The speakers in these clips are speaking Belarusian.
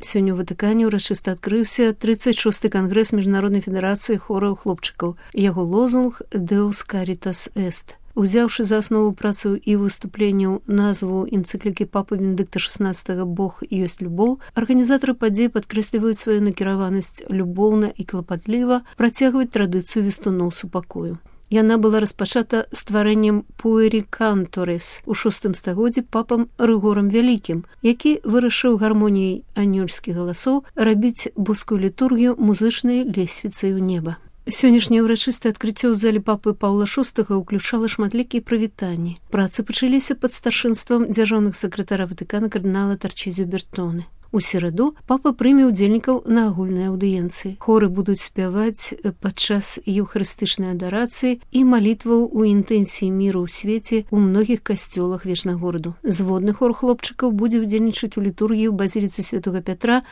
Сёння ў Ватыкане ўрачыста адкрыўся 36-й кангрэс Міжнароднай федэрацыі хораў хлопчыкаў. Яго лозунг «Deus Caritas Est». Узяўшы за аснову працу і выступленняў назву энцыклікі папы Бенедыкта XVI «Бог ёсць любоў», арганізатары падзей падкрэсліваюць сваю накіраванасць любоўна і клапатліва працягваць традыцыю вестуноў супакою. Яна была распачата стварэннем Pueri Cantores у VI стагоддзі папам Рыгорам Вялікім, які вырашыў гармоніяй анёльскіх галасоў рабіць боскую літургію музычнай лесвіцай у неба. Сённяшняе ўрачыстае адкрыццё ў зале папы Паўла VI ўключала шматлікія прывітанні. Працы пачаліся пад старшынствам дзяржаўнага сакратара Ватыкана кардынала Тарчызіо Бертоне. У сераду папа прыме ўдзельнікаў на агульнай аўдыенцыі. Хоры будуць спяваць падчас еўхарыстычнай адарацыі і малітваў у інтэнсіі міру ў свеце ў многіх касцёлах Вечнагораду. Зводны хор хлопчыкаў будзе ўдзельнічаць у літургіі ў базіліцы Святога Пятра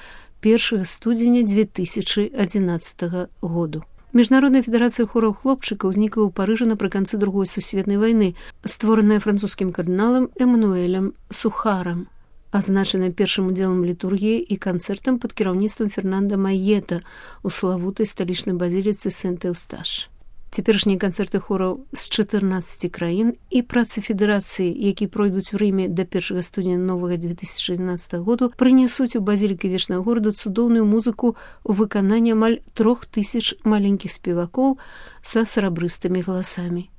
1 студзеня 2011 году. Міжнародная федэрацыя хораў хлопчыкаў узнікла ў Парыжы напрыканцы Другой сусветнай вайны, створаная французскім кардыналам Эмануэлем Сухарам, азначана першым удзелам літургіі і канцэртам пад кіраўніцтвам Фернанда Майета ў славутай сталічнай базіліцы Сент-Эўсташ. Цяперашнія канцэрты хораў з 14 краін і працы федэрацыі, які пройдуць у Рыме да 1 студзеня новага 2011 году, прынясуць у базілікі Вечнага гораду цудоўную музыку ў выкананні амаль 3000 маленькіх спевакоў са срабрыстымі галасамі.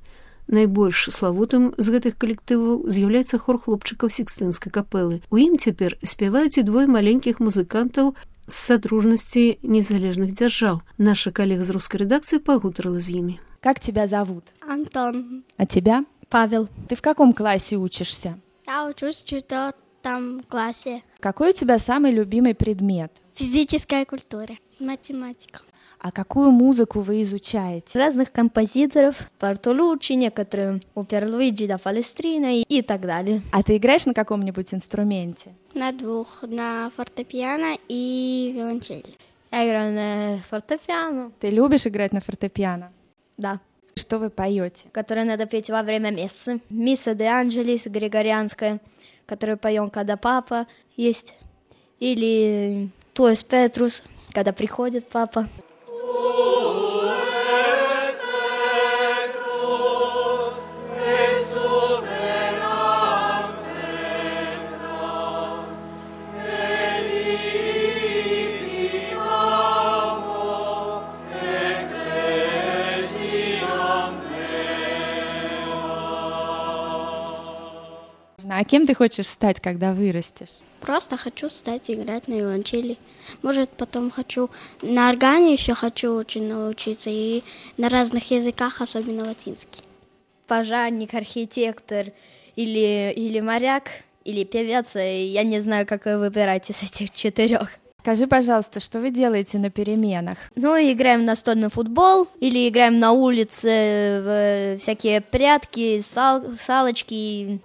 Найбольш славутым з гэтых калектываў з'яўляецца хор хлопчыкаў Сікстынскай капэлы. У ім цяпер спяваюць і двое маленькіх музыкантаў з Содружности незалежных держав. Наша коллега из русской редакции погутарила с ними. Как тебя зовут? Антон. А тебя? Павел. Ты в каком классе учишься? Я учусь в 4 классе. Какой у тебя самый любимый предмет? Физическая культура, математика. А какую музыку вы изучаете? Разных композиторов, Бартолуччи, некоторые опер Луиджи да Палестрина и так далее. А ты играешь на каком-нибудь инструменте? На 2, на фортепиано и виолончели. Я играю на фортепиано. Ты любишь играть на фортепиано? Да. Что вы поете? Которое надо петь во время мессы. Мисса де Анджелис григорианская, которую поем, когда папа есть. Или Туэс Петрус, когда приходит папа. А кем ты хочешь стать, когда вырастешь? Просто хочу стать играть на виолончели. Может, потом хочу на органе еще хочу очень научиться и на разных языках, особенно латинский. Пожарник, архитектор или моряк, или певец. Я не знаю, как вы выбираете из этих 4. Скажи, пожалуйста, что вы делаете на переменах? Играем в настольный футбол или играем на улице в всякие прятки, салочки.